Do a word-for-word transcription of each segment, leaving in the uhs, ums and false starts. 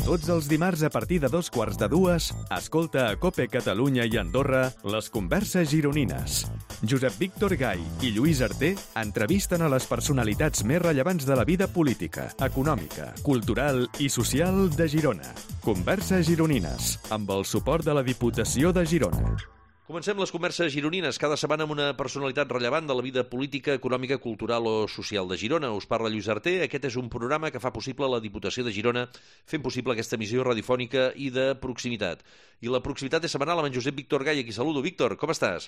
Tots els dimarts a partir de dos quarts de dues, escolta a COPE Catalunya i Andorra les converses gironines. Josep Víctor Gai i Lluís Arter entrevisten a les personalitats més rellevants de la vida política, econòmica, cultural i social de Girona. Converses gironines, amb el suport de la Diputació de Girona. Comencem les converses gironines, cada setmana amb una personalitat rellevant de la vida política, econòmica, cultural o social de Girona. Us parla Lluís Arter. Aquest és un programa que fa possible la Diputació de Girona, fent possible aquesta emissió radiofònica i de proximitat. I la proximitat és setmanal amb en Josep Víctor Gai, a qui saludo. Víctor, com estàs?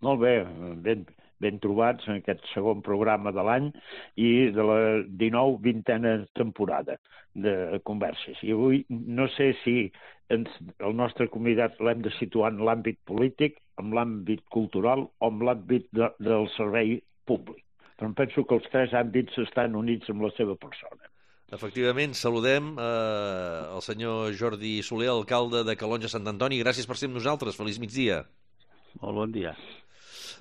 Molt bé, ben, ben trobats en aquest segon programa de l'any i de la dinou vintena temporada de converses. I avui no sé si ens, el nostre convidat l'hem de situar en l'àmbit polític, en l'àmbit cultural o en l'àmbit de, del servei públic. Però em penso que els tres àmbits estan units amb la seva persona. Efectivament, saludem eh, el senyor Jordi Soler, alcalde de Calonge Sant Antoni. Gràcies per ser amb nosaltres. Feliç migdia. Molt bon dia.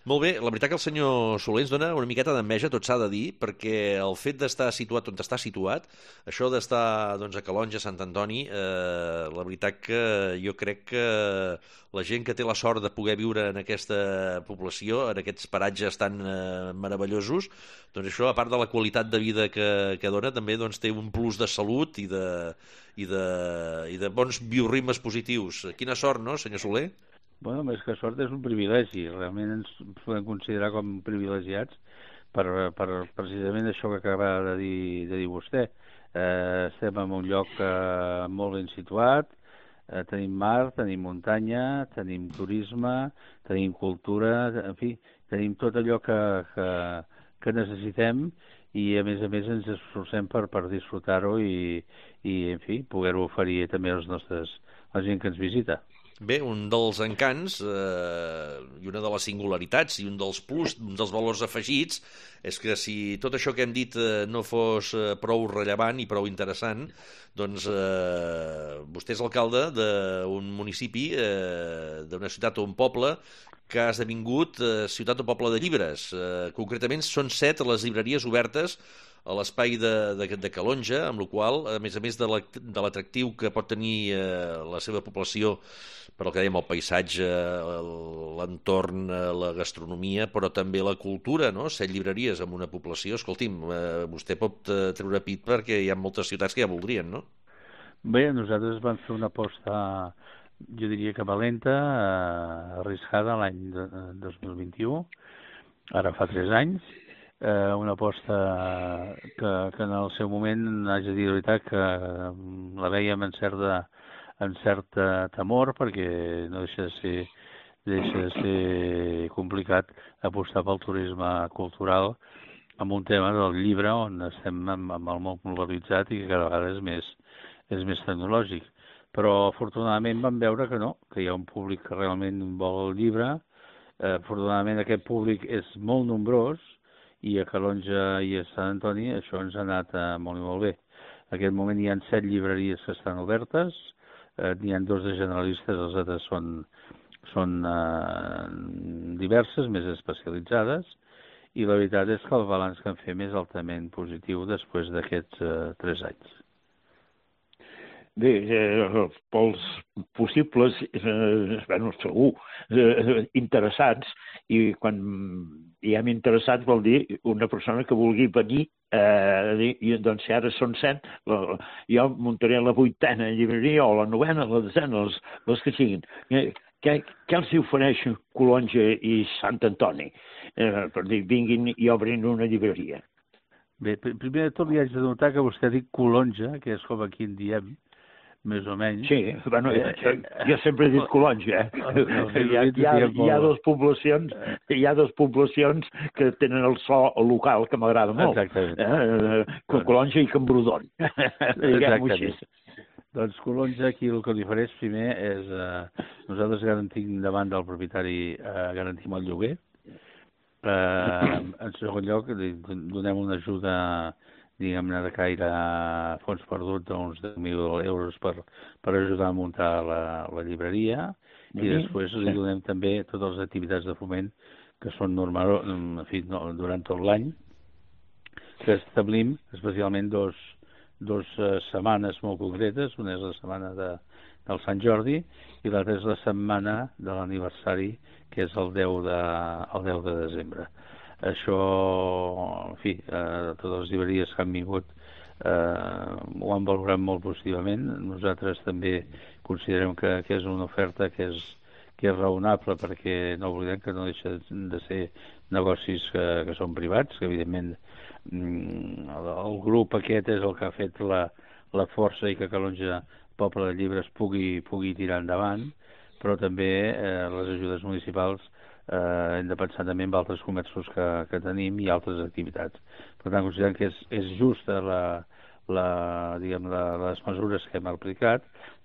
Molt bé, la veritat que el senyor Soler ens dona una miqueta d'enveja, tot s'ha de dir, perquè el fet d'estar situat on està situat, això d'estar doncs, a Calonge, Sant Antoni, eh, la veritat que jo crec que la gent que té la sort de poder viure en aquesta població, en aquests paratges tan eh, meravellosos, doncs això, a part de la qualitat de vida que, que dona, també doncs, té un plus de salut i de, i de, i de bons biorritmes positius. Quina sort, no, senyor Soler? Bueno, més que sort és un privilegi. Realment ens podem considerar com privilegiats per, per precisament això que acaba de dir, de dir vostè. Eh, estem en un lloc eh, molt ben situat, eh, tenim mar, tenim muntanya, tenim turisme, tenim cultura, en fi, tenim tot allò que, que, que necessitem i a més a més ens esforcem per, per disfrutar-ho i, i en fi, poder-ho oferir també als nostres, a la gent que ens visita. Bé, un dels encants eh, i una de les singularitats i un dels plus, un dels valors afegits és que si tot això que hem dit eh, no fos eh, prou rellevant i prou interessant, doncs eh, vostè és alcalde d'un municipi, eh, d'una ciutat o un poble que ha esdevingut eh, ciutat o poble de llibres. Eh, concretament són set les llibreries obertes a l'espai de, de, de Calonge, amb la qual a més a més de l'atractiu que pot tenir eh, la seva població per el que dèiem, el paisatge, l'entorn, la gastronomia, però també la cultura, no? Set llibreries en una població. Escolti'm, eh, vostè pot eh, treure pit perquè hi ha moltes ciutats que ja voldrien, no? Bé, nosaltres vam fer una aposta, jo diria que valenta, eh, arriscada l'any dos mil vint-i-u, ara fa tres anys, eh, una aposta que, que en el seu moment, haig de dir la veritat, que la vèiem en certa en cert temor, perquè no deixa de ser, deixa de ser complicat apostar pel turisme cultural amb un tema del llibre on estem amb, amb el món globalitzat i que cada vegada és més, és més tecnològic. Però afortunadament vam veure que no, que hi ha un públic que realment vol el llibre. Eh, afortunadament aquest públic és molt nombrós i a Calonge i a Sant Antoni això ens ha anat eh, molt i molt bé. En aquest moment hi ha set llibreries que estan obertes, eh, n'hi ha dos de generalistes, els altres són, són eh, diverses, més especialitzades, i la veritat és que el balanç que en fem és altament positiu després d'aquests eh, tres anys. Bé, eh, pels possibles, eh, bueno, segur, eh, interessats, i quan diem interessats vol dir una persona que vulgui venir, eh, i doncs si ara són set, la, jo muntaré la vuitena llibreria o la novena, la desena, les, les que siguin. Eh, què, què els ofereix Calonge i Sant Antoni? Eh, per dir, vinguin i obrin una llibreria. Bé, primer de tot li haig de notar que vostè ha dit Calonge, que és com aquí en diem, més o menys. Sí, bueno, jo, jo sempre he dit Calonge, eh? Hi ha, hi, ha, hi ha dos poblacions, hi ha dos poblacions que tenen el so local que m'agrada molt. Exactament. Eh? Calonge i Camprodon. Diguem-ho així. Doncs Calonge aquí el que li ofereix primer és eh, nosaltres garantim davant del propietari, eh, garantim el lloguer. Eh, en segon lloc, donem una ajuda, diguem-ne, de caire fons perdut d'uns deu mil euros per, per ajudar a muntar la, la llibreria, i mm-hmm. després li donem també totes les activitats de foment que són normal, en fi, no, durant tot l'any, que establim especialment dos, dues uh, setmanes molt concretes. Una és la setmana de, del Sant Jordi i l'altra és la setmana de l'aniversari, que és el deu de, el deu de desembre. Això, en fi, eh, totes les llibreries que han vingut eh, ho han valorat molt positivament. Nosaltres també considerem que, que és una oferta que és, que és raonable, perquè no oblidem que no deixa de ser negocis que, que són privats, que evidentment el, el grup aquest és el que ha fet la, la força i que Calonge Poble de Llibres pugui, pugui tirar endavant, però també eh, les ajudes municipals eh, hem de pensar també en altres comerços que, que tenim i altres activitats. Per tant, considerem que és, és justa la, la, diguem, la, les mesures que hem aplicat,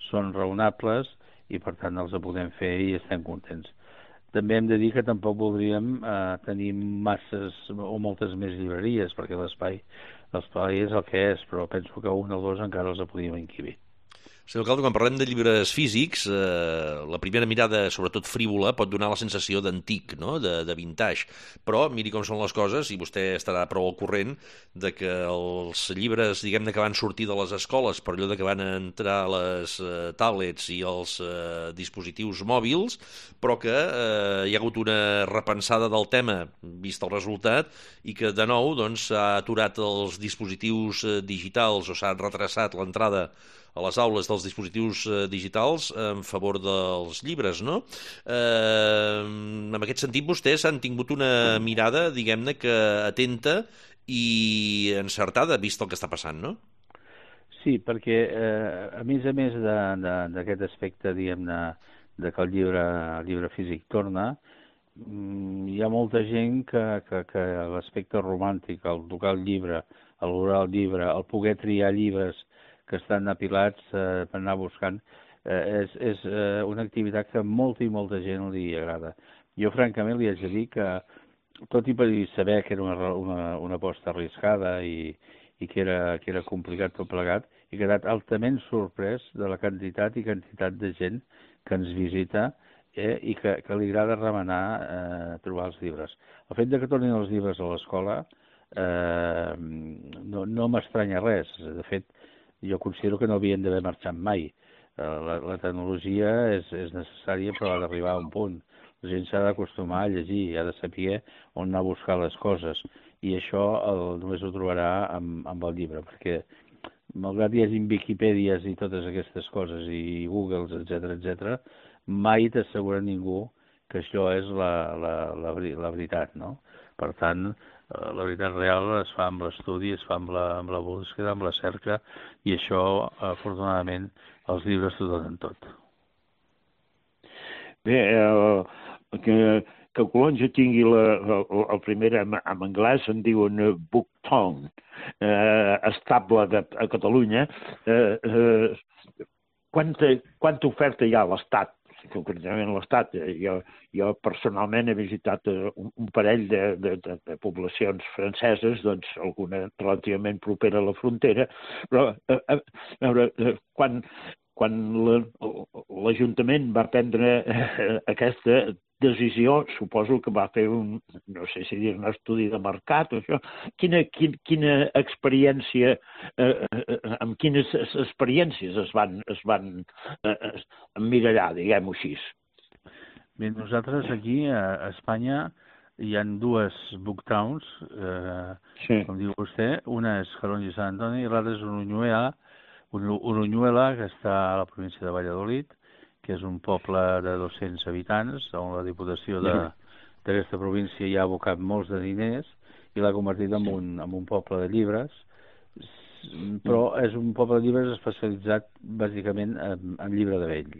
són raonables i per tant els podem fer i estem contents. També hem de dir que tampoc voldríem eh, tenir masses o moltes més llibreries, perquè l'espai l'espai és el que és, però penso que un o dos encara els podíem encabir. Senyor Alcalde, quan parlem de llibres físics, eh, la primera mirada, sobretot frívola, pot donar la sensació d'antic, no? de, de vintage. Però miri com són les coses, i vostè estarà prou al corrent de que els llibres, diguem-ne, que van sortir de les escoles per allò de que van entrar les eh, tablets i els eh, dispositius mòbils, però que eh, hi ha hagut una repensada del tema, vist el resultat, i que de nou doncs, s'ha aturat els dispositius eh, digitals o s'ha retrasat l'entrada a les aules dels dispositius eh, digitals en favor dels llibres, no? Eh, en aquest sentit, vostès han tingut una mirada, diguem-ne, que atenta i encertada, vist el que està passant, no? Sí, perquè eh, a més a més d'aquest aspecte, diguem-ne, de que el llibre, el llibre físic torna, hi ha molta gent que, que, que l'aspecte romàntic, el tocar el llibre, el valorar el llibre, el poder triar llibres que estan apilats eh, per anar buscant, eh, és, és eh, una activitat que molta i molta gent li agrada. Jo, francament, li haig de dir que, tot i per saber que era una, una, una aposta arriscada i, i que, era, que era complicat tot plegat, he quedat altament sorprès de la quantitat i quantitat de gent que ens visita eh, i que, que li agrada remenar eh, trobar els llibres. El fet de que tornin els llibres a l'escola eh, no, no m'estranya res. De fet, jo considero que no havien d'haver marxat mai. La, la tecnologia és, és necessària, però ha d'arribar a un punt. La gent s'ha d'acostumar a llegir, ha de saber on anar a buscar les coses, i això el, només ho trobarà amb, amb el llibre, perquè malgrat hi hagi Wikipèdies i totes aquestes coses, i Googles, etcètera, etcètera, mai t'assegura ningú que això és la, la, la, la veritat, no? Per tant, la veritat real es fa amb l'estudi, es fa amb la, amb la búsqueda, amb la cerca, i això, afortunadament, els llibres t'ho donen tot. Bé, eh, que, que Calonge tingui la, el, el primer en, en anglès en diuen Booktown, eh, estable de, a Catalunya. Eh, eh, quanta, quanta oferta hi ha a l'Estat? Concretament a l'Estat. Jo, jo personalment he visitat un, un parell de, de, de, de poblacions franceses, doncs alguna relativament propera a la frontera, però a, a, a veure, quan, quan l'Ajuntament va prendre aquesta decisió, suposo que va fer un, no sé si dir, un estudi de mercat o això. Quina, quina, quina experiència, eh, amb quines experiències es van, es van eh, emmirallar, diguem-ho així? Bé, nosaltres aquí a Espanya hi ha dues booktowns, eh, sí. com diu vostè. Una és Calonge i Sant Antoni i l'altra és Uruñuela, Uruñuela, que està a la província de Valladolid, que és un poble de dos-cents habitants, on la Diputació d'aquesta província hi ha abocat molts de diners i l'ha convertit en un, en un poble de llibres, però és un poble de llibres especialitzat bàsicament en, en llibre de vell.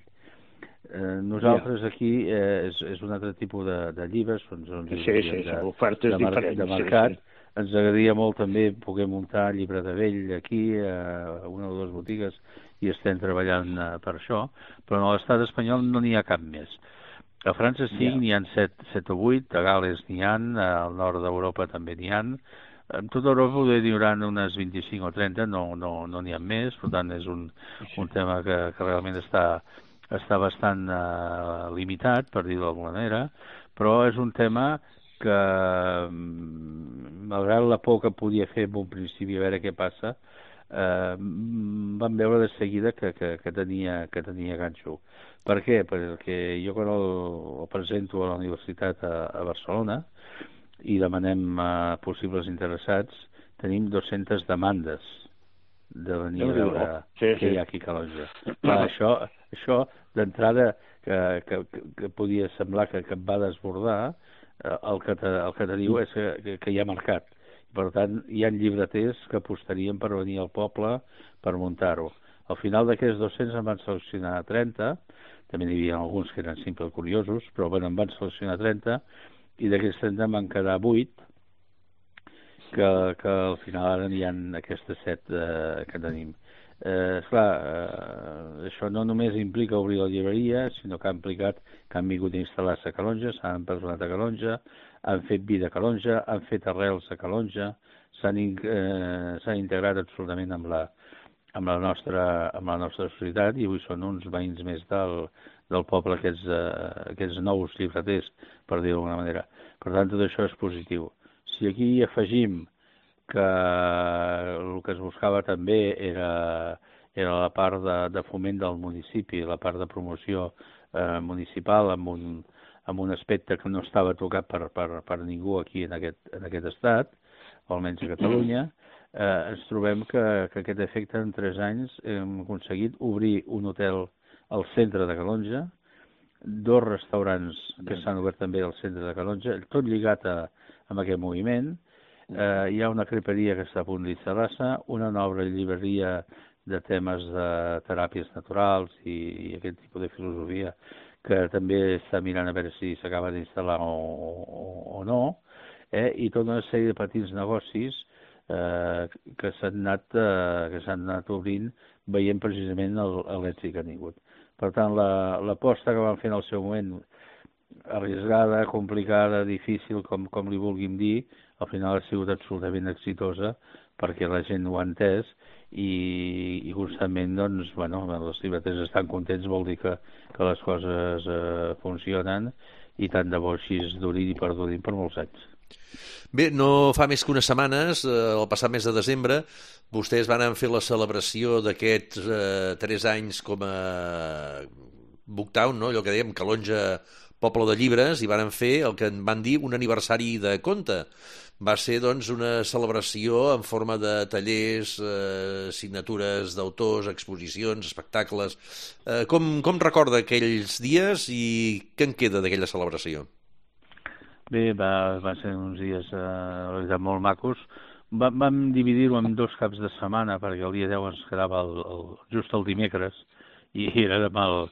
Eh, nosaltres aquí eh, és, és un altre tipus de, de llibres, són, són sí, sí, sí, de, ofertes de, mar, diferents, de mercat. Sí, sí. Ens agradaria molt també poder muntar llibre de vell aquí, a una o dues botigues, i estem treballant uh, per això, però a l'estat espanyol no n'hi ha cap més. A França sí, yeah. n'hi ha set, set o vuit, a Gales n'hi ha, al nord d'Europa també n'hi ha. En tota Europa n'hi haurà unes vint-i-cinc o trenta, no n'hi no, no ha més, per tant és un, un tema que, que realment està, està bastant uh, limitat, per dir-ho d'alguna manera, però és un tema que, malgrat la por que podia fer en un principi a veure què passa, eh, vam veure de seguida que, que, que, tenia, que tenia ganxo. Per què? Perquè jo quan el, el presento a la universitat a, a Barcelona i demanem a possibles interessats, tenim dues-centes demandes de venir a veure sí, què sí. hi ha aquí a Calonge. Clar, això, això d'entrada que, que, que podia semblar que, que et va desbordar, el que, te, el que te diu és que, que, que hi ha mercat. Per tant, hi ha llibreters que apostarien per venir al poble per muntar-ho. Al final d'aquests dos-cents en van seleccionar trenta, també n'hi havia alguns que eren simples curiosos, però bueno, en van seleccionar trenta, i d'aquests trenta en van quedar vuit, que, que al final ara n'hi ha aquestes set eh, que tenim. Eh, esclar, eh, això no només implica obrir la llibreria, sinó que ha implicat que han vingut a instal·lar-se a Calonge, s'han empresonat a Calonge, han fet vida a Calonge, han fet arrels a Calonge, s'han eh, integrat absolutament amb la, amb, la nostra, amb la nostra societat i avui són uns veïns més del, del poble, aquests, eh, aquests nous llibreters, per dir-ho d'alguna manera. Per tant, tot això és positiu. Si aquí afegim que el que es buscava també era, era la part de, de foment del municipi, la part de promoció eh, municipal amb un, amb un aspecte que no estava tocat per, per, per ningú aquí en aquest, en aquest estat, o almenys a Catalunya, eh, ens trobem que, que aquest efecte en tres anys hem aconseguit obrir un hotel al centre de Calonge, dos restaurants que s'han obert també al centre de Calonge, tot lligat a, amb aquest moviment. Eh, hi ha una creperia que està a punt d'instal·lar-se, una nova llibreria de temes de teràpies naturals i, i aquest tipus de filosofia que també està mirant a veure si s'acaba d'instal·lar o, o, o no, eh? I tota una sèrie de petits negocis eh, que s'han anat, eh, que s'han anat obrint veient precisament l'èxit que han tingut. Per tant, l'aposta la, que van fer en el seu moment, arriscada, complicada, difícil, com, com li vulguin dir, al final ha sigut absolutament exitosa perquè la gent ho ha entès i, i constantment, doncs, bueno, els llibreters estan contents, vol dir que, que les coses eh, funcionen i tant de bo així es durin i perdurin per molts anys. Bé, no fa més que unes setmanes, eh, el passat mes de desembre, vostès van fer la celebració d'aquests eh, tres anys com a Booktown, no? Allò que dèiem, Calonge, poble de llibres, i van fer el que en van dir un aniversari de conte. Va ser, doncs, una celebració en forma de tallers, eh, signatures d'autors, exposicions, espectacles. Eh, com, com recorda aquells dies i què en queda d'aquella celebració? Bé, va, va ser uns dies eh, la veritat molt macos. Va, vam dividir-ho en dos caps de setmana perquè el dia deu ens quedava el, el, just el dimecres i era de mal,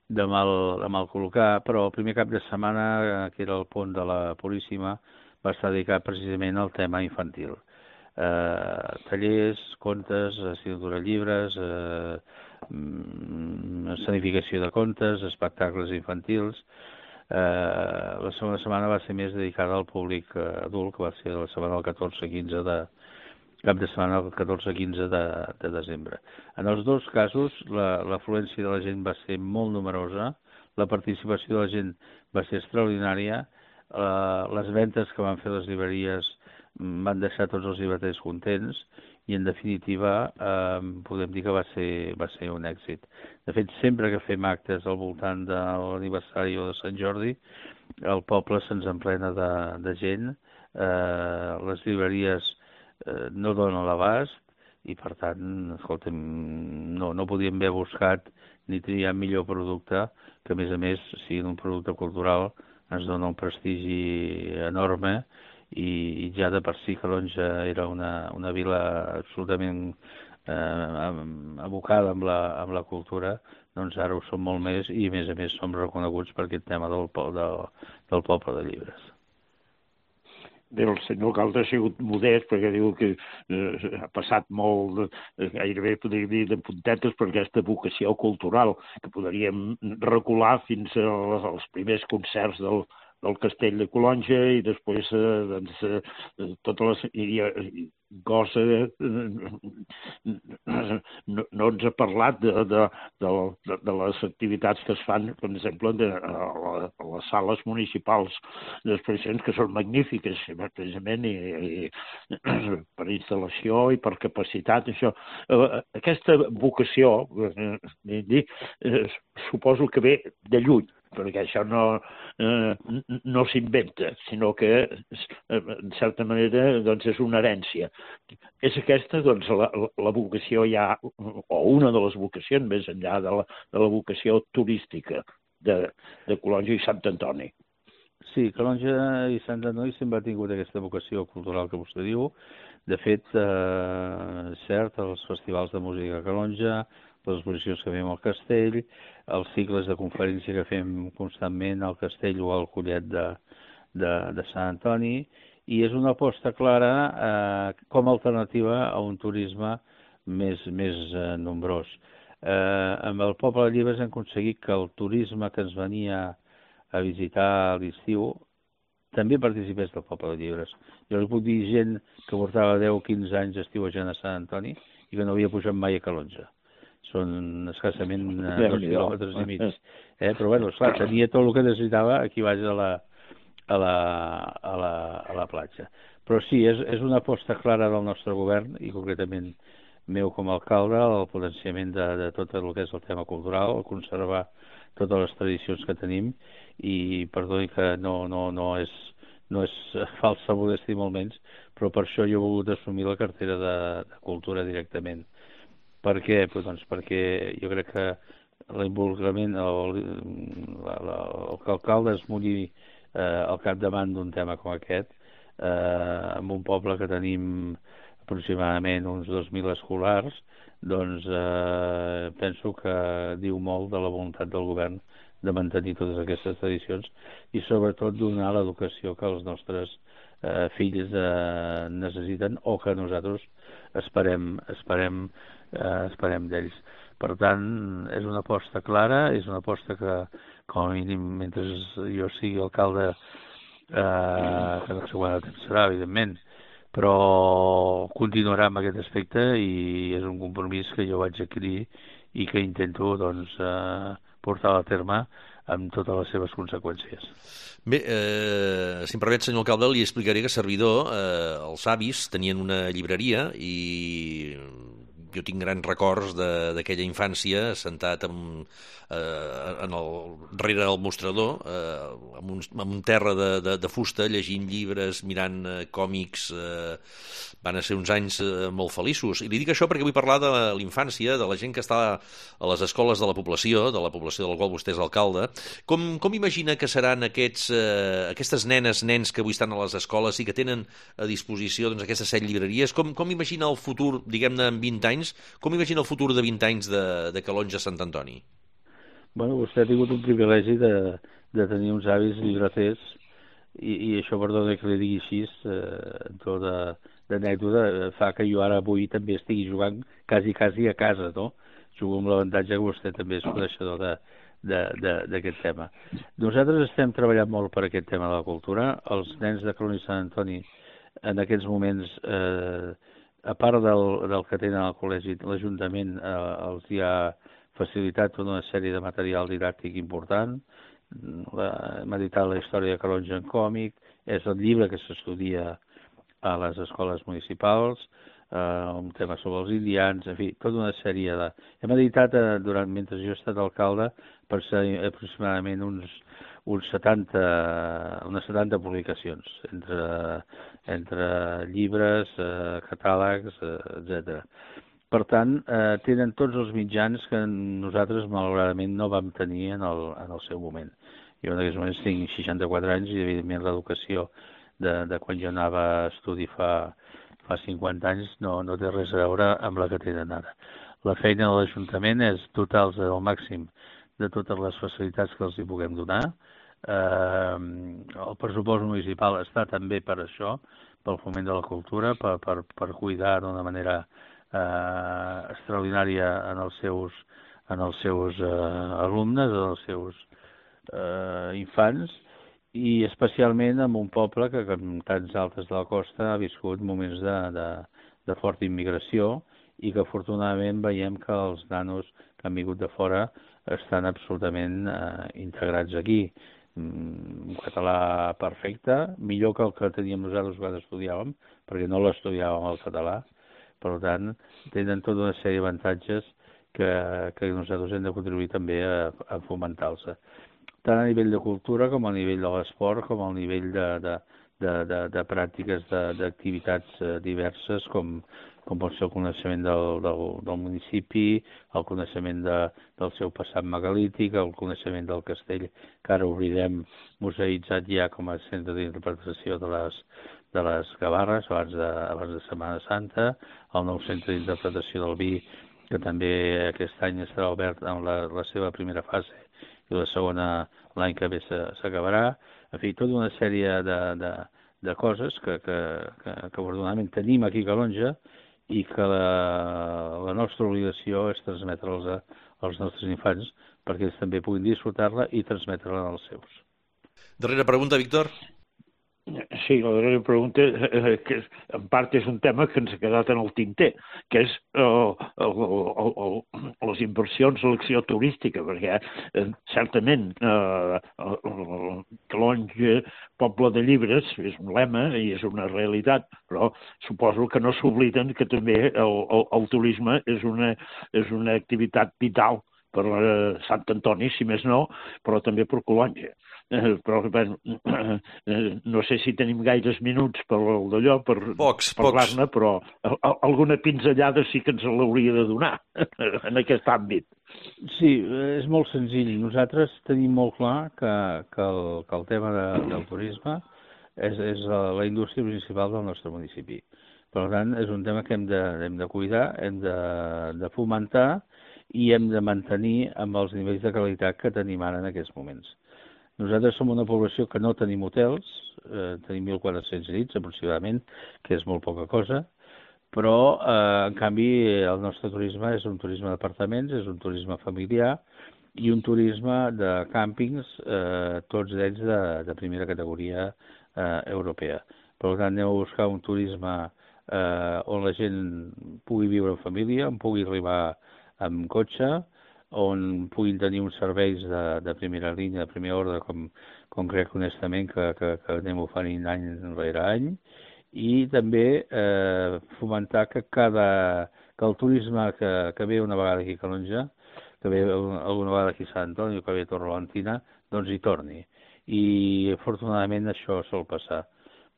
de, mal, de mal col·locar, però el primer cap de setmana, que era el pont de la Puríssima, va estar dedicat precisament al tema infantil. Eh, tallers, contes, assignatura de llibres, eh, escenificació de contes, espectacles infantils. Eh, la segona setmana va ser més dedicada al públic adult, que va ser la setmana del catorze quinze de cap de setmana del catorze quinze de, de desembre. En els dos casos l'afluència de la gent va ser molt numerosa, la participació de la gent va ser extraordinària, eh, les ventes que van fer les llibreries van deixar tots els llibreters contents i en definitiva eh, podem dir que va ser, va ser un èxit. De fet, sempre que fem actes al voltant de l'aniversari o de Sant Jordi, el poble se'ns emplena de, de gent, eh, les llibreries eh, no donen l'abast i per tant, escolta'm, no, no podíem haver buscat ni triar millor producte que a més a més, si un producte cultural ens dona un prestigi enorme i, i ja de per si Calonge era una, una vila absolutament eh, abocada amb la, amb la cultura, doncs ara ho som molt més i a més a més som reconeguts per aquest tema del, del, del poble de llibres. Bé, el senyor alcalde ha sigut modest perquè diu que eh, ha passat molt, eh, gairebé podria dir, de puntetes per aquesta vocació cultural, que podríem recular fins als primers concerts del, del Castell de Calonge i després eh, doncs, eh, totes les, i, i, cosa... No, no ens ha parlat de, de, de, de les activitats que es fan, per exemple, de, a, la, a les sales municipals d'exposicions, que són magnífiques, precisament, i, i per instal·lació i per capacitat. Això. Aquesta vocació, eh, dir, eh, suposo que ve de lluny, perquè això no, eh, no s'inventa, sinó que, en certa manera, doncs, és una herència. És aquesta, doncs, la, la vocació ja, o una de les vocacions, més enllà de la, de la vocació turística de, de Calonge i Sant Antoni. Sí, Calonge i Sant Antoni sempre ha tingut aquesta vocació cultural que vostè diu. De fet, eh, cert, els festivals de música a Calonge, les exposicions que fem al Castell, els cicles de conferència que fem constantment al Castell o al Collet de, de, de Sant Antoni, i és una aposta clara eh, com a alternativa a un turisme més, més eh, nombrós. Eh, amb el Poble de Llibres hem aconseguit que el turisme que ens venia a visitar a l'estiu també participés del Poble de Llibres. Jo li puc dir gent que portava deu o quinze anys estiuejant a Sant Antoni i que no havia pujat mai a Calonge. Són escassament eh, dos quilòmetres i mig. Eh? Però, bueno, esclar, tenia tot el que necessitava aquí baix a la, a la, a la, a la platja. Però sí, és, és una aposta clara del nostre govern, i concretament meu com a alcalde, el potenciament de, de tot el que és el tema cultural, el conservar totes les tradicions que tenim, i perdoni que no, no, no és no és falsa modèstia molt menys, però per això jo he volgut assumir la cartera de, de cultura directament. Per què? Pues, doncs perquè jo crec que l'involucrament, el, la, la, el que l'alcalde es mulli eh, al capdavant d'un tema com aquest, eh, en un poble que tenim aproximadament uns dos mil escolars, doncs eh, penso que diu molt de la voluntat del govern de mantenir totes aquestes tradicions i sobretot donar l'educació que els nostres eh, fills eh, necessiten o que nosaltres esperem, esperem, eh, esperem d'ells. Per tant, és una aposta clara, és una aposta que, com a mínim, mentre jo sigui alcalde, eh, que no sé quant de temps serà, evidentment, però continuarà amb aquest aspecte i és un compromís que jo vaig adquirir i que intento, doncs, eh, portar a terme amb totes les seves conseqüències. Bé, eh, si em permet, senyor alcalde, li explicaré que a Servidor, eh, els avis tenien una llibreria i jo tinc grans records d'aquella infància sentat en, eh, en el, darrere del mostrador eh, amb, un, amb un terra de, de, de fusta, llegint llibres, mirant eh, còmics. eh, van ser uns anys eh, molt feliços, i li dic això perquè vull parlar de la infància, de la gent que està a les escoles de la població, de la població de la qual vostè és alcalde. Com, com imagina que seran aquests, eh, aquestes nenes, nens que avui estan a les escoles i que tenen a disposició doncs, aquestes set llibreries? Com, com imagina el futur, diguem-ne, en vint anys? Com imagina el futur de vint anys de, de Calonge a Sant Antoni? Bueno, vostè ha tingut un privilegi de, de tenir uns avis llibreters i, i això, perdona que li digui així, eh, en tot de, d'anècdota, fa que jo ara avui també estigui jugant quasi, quasi a casa, no? Jugo amb l'avantatge que vostè també és coneixedor de, d'aquest tema. Nosaltres estem treballant molt per aquest tema de la cultura. Els nens de Calonge i Sant Antoni en aquests moments, eh, a part del, del que tenen al col·legi, l'Ajuntament eh, els hi ha facilitat tota una sèrie de material didàctic important. M'ha editat la història de Calonge en còmic, és el llibre que s'estudia a les escoles municipals, eh, un tema sobre els indians, en fi, tota una sèrie de... Hem editat, eh, durant, mentre jo he estat alcalde, per ser aproximadament uns, uns setanta, unes setanta publicacions, entre, entre llibres, eh, catàlegs, eh, etcètera. Per tant, eh, tenen tots els mitjans que nosaltres, malauradament, no vam tenir en el, en el seu moment. Jo en aquests moments tinc seixanta-quatre anys i, evidentment, l'educació de, de quan jo anava a estudi fa, fa cinquanta anys no, no té res a veure amb la que tenen ara. La feina de l'Ajuntament és dotar-los al màxim de totes les facilitats que els hi puguem donar. Eh, el pressupost municipal està també per això, pel foment de la cultura, per, per, per cuidar d'una manera eh, extraordinària en els seus, en els seus eh, alumnes, en els seus eh, infants, i especialment en un poble que, com tants altres de la costa, ha viscut moments de, de, de forta immigració i que afortunadament veiem que els nanos que han vingut de fora estan absolutament eh, integrats aquí. Un català perfecte, millor que el que teníem nosaltres quan estudiàvem, perquè no l'estudiàvem el català. Per tant, tenen tota una sèrie d'avantatges que, que nosaltres hem de contribuir també a, a fomentar-los. Tant a nivell de cultura com a nivell de l'esport, com a nivell de, de, de, de, de pràctiques d'activitats diverses, com, com pot ser el coneixement del, del, del municipi, el coneixement de, del seu passat megalític, el coneixement del castell, que ara obrirem museïtzat ja com a centre d'interpretació de les, de les Gavarres abans de, abans de Setmana Santa, el nou centre d'interpretació del vi, que també aquest any estarà obert en la, la seva primera fase i la segona l'any que ve s'acabarà. En fi, tota una sèrie de, de, de coses que, que, que, que afortunadament tenim aquí a Calonge i que la, la nostra obligació és transmetre'ls als nostres infants perquè ells també puguin disfrutar-la i transmetre-la als seus. Darrera pregunta, Víctor. Sí, la darrera pregunta, eh, que en part és un tema que ens ha quedat en el tinter, que és eh, el, el, el, les inversions a l'acció turística, perquè eh, certament eh, Calonge, poble de llibres, és un lema i és una realitat, però suposo que no s'obliden que també el, el, el turisme és una, és una activitat vital per eh, Sant Antoni, si més no, però també per Calonge. Eh, però bueno, eh, no sé si tenim gaires minuts per d'allò, per pocs, parlar-ne, pocs. però a, a, alguna pinzellada sí que ens l'hauria de donar en aquest àmbit. Sí, és molt senzill. Nosaltres tenim molt clar que, que, el, que el tema de, del turisme és, és la indústria principal del nostre municipi. Per tant, és un tema que hem de, hem de cuidar, hem de, de fomentar i hem de mantenir amb els nivells de qualitat que tenim ara en aquests moments. Nosaltres som una població que no tenim hotels, eh, tenim mil quatre-cents llits aproximadament, que és molt poca cosa, però eh, en canvi el nostre turisme és un turisme d'apartaments, és un turisme familiar i un turisme de càmpings, eh, tots ells de, de primera categoria eh, europea. Per tant, anem a buscar un turisme eh, on la gent pugui viure en família, on pugui arribar amb cotxe, on puguin tenir uns serveis de, de primera línia, de primer ordre, com, com crec honestament que, que, que anem oferint any rere any, i també eh, fomentar que, cada, que el turisme que, que ve una vegada aquí a Calonge, que ve alguna vegada aquí a Sant Antoni, que ve a Torrelantina, doncs hi torni. I afortunadament això sol passar.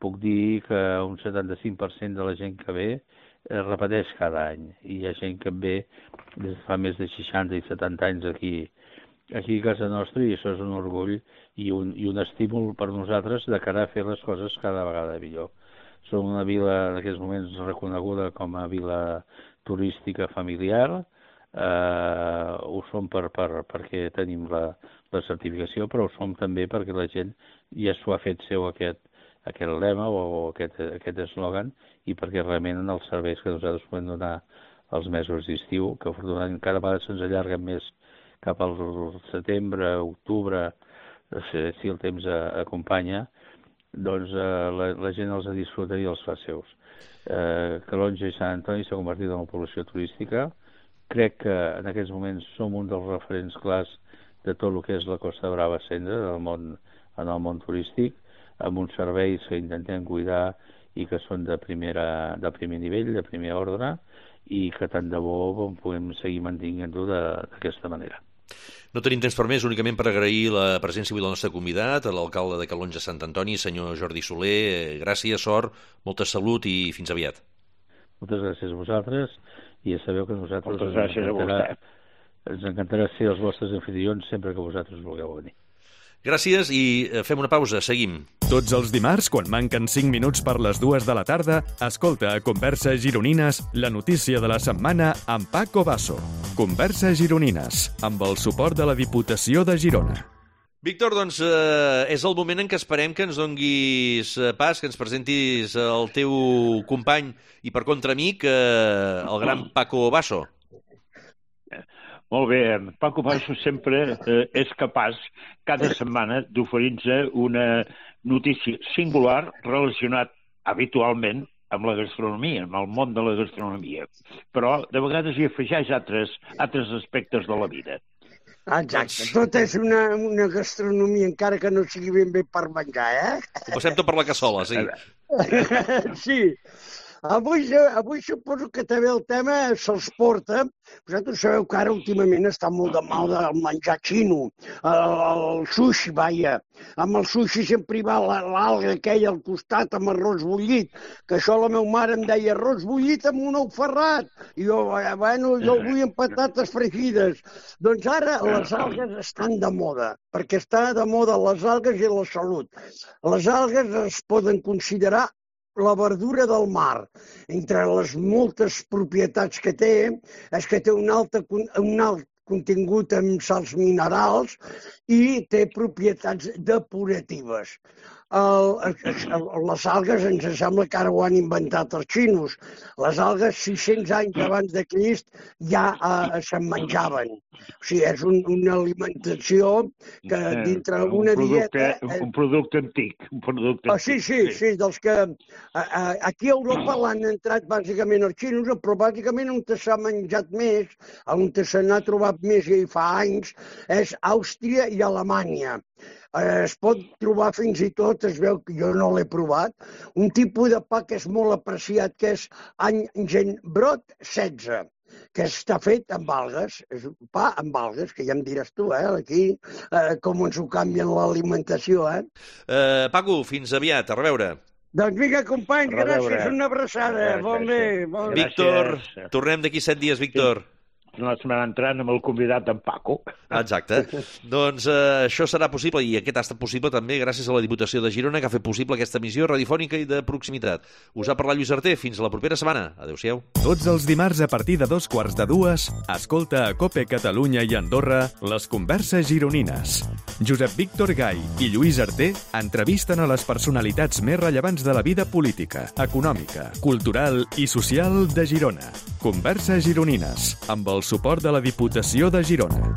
Puc dir que un setanta-cinc per cent de la gent que ve es repeteix cada any, i hi ha gent que ve des de fa més de seixanta i setanta anys aquí, aquí a casa nostra, i això és un orgull i un, i un estímul per nosaltres de cara a fer les coses cada vegada millor. Som una vila en aquests moments reconeguda com a vila turística familiar, eh, ho som per, per, perquè tenim la, la certificació, però ho som també perquè la gent ja s'ho ha fet seu aquest aquest lema o aquest, aquest eslògan, i perquè realment en els serveis que nosaltres podem donar als mesos d'estiu, que afortunadament cada vegada se'ns allarguen més cap al setembre, octubre, si el temps acompanya, doncs eh, la, la gent els disfruta i els fa seus. Eh, Calonge i Sant Antoni s'ha convertit en una població turística. Crec que en aquests moments som un dels referents clars de tot el que és la Costa Brava Cendra, del món, en el món turístic, amb uns serveis que intentem cuidar i que són de, primera, de primer nivell, de primer ordre, i que tant de bo podem seguir mantenint-ho d'aquesta manera. No tenim temps per més, únicament per agrair la presència avui del nostre convidat, l'alcalde de Calonge Sant Antoni, senyor Jordi Soler. Gràcies, sort, molta salut i fins aviat. Moltes gràcies a vosaltres, i ja sabeu que nosaltres Moltes gràcies a vostè. Ens encantarà ser els vostres anfitrions sempre que vosaltres vulgueu venir. Gràcies i fem una pausa, seguim. Tots els dimarts, quan manquen cinc minuts per les dues de la tarda, escolta a Converses Gironines la notícia de la setmana amb Paco Basso. Converses Gironines, amb el suport de la Diputació de Girona. Víctor, doncs eh, és el moment en què esperem que ens donguis pas, que ens presentis el teu company i per contra amic, eh, el gran Paco Basso. Molt bé, Paco Basso sempre eh, és capaç cada setmana d'oferir-nos una notícia singular relacionat habitualment amb la gastronomia, amb el món de la gastronomia, però de vegades hi afegeix altres, altres aspectes de la vida. Exacte, tot és una, una gastronomia, encara que no sigui ben bé per menjar, eh? Ho passem tot per la cassola, sí. Sí. Avui, avui suposo que també el tema se'ls porta. Vosaltres sabeu que ara últimament està molt de moda el menjar xino, el, el sushi, vaja. Amb el sushi sempre hi va l'alga aquella al costat amb arròs bullit, que això la meva mare em deia arròs bullit amb un ou ferrat. I jo, bueno, jo el vull amb patates fregides. Doncs ara les algues estan de moda, perquè està de moda les algues i la salut. Les algues es poden considerar la verdura del mar. Entre les moltes propietats que té, és que té un alt, un alt contingut en sals minerals i té propietats depuratives. El, el, les algues ens sembla que ara ho han inventat els xinos. Les algues, sis-cents anys abans de Crist, ja eh, se'n menjaven. O sigui, és un, una alimentació que dintre una un producte, dieta... Un producte antic. Un producte oh, sí, sí, sí, sí, dels que... A, a, aquí a Europa l'han entrat bàsicament els xinos, però bàsicament on s'ha menjat més, on se n'ha trobat més i fa anys, és Àustria i Alemanya. Es pot trobar fins i tot, es veu que jo no l'he provat, un tipus de pa que és molt apreciat, que és Angenbrot setze, que està fet amb algues, és un pa amb algues, que ja em diràs tu, eh, aquí, eh, com ens ho canvien l'alimentació, eh? Uh, Paco, fins aviat, a reveure. Doncs vinga, company, gràcies, una abraçada, bon bé. Bon... Víctor, tornem d'aquí set dies, Víctor. La setmana entrant amb el convidat en Paco. Exacte. Doncs eh, això serà possible, i aquest ha estat possible també gràcies a la Diputació de Girona, que ha fet possible aquesta emissió radiofònica i de proximitat. Us ha parlat Lluís Arté. Fins a la propera setmana. Adéu-siau. Tots els dimarts a partir de dos quarts de dues, escolta a COPE Catalunya i Andorra les converses gironines. Josep Víctor Gai i Lluís Arté entrevisten a les personalitats més rellevants de la vida política, econòmica, cultural i social de Girona. Converses gironines, amb el suport de la Diputació de Girona.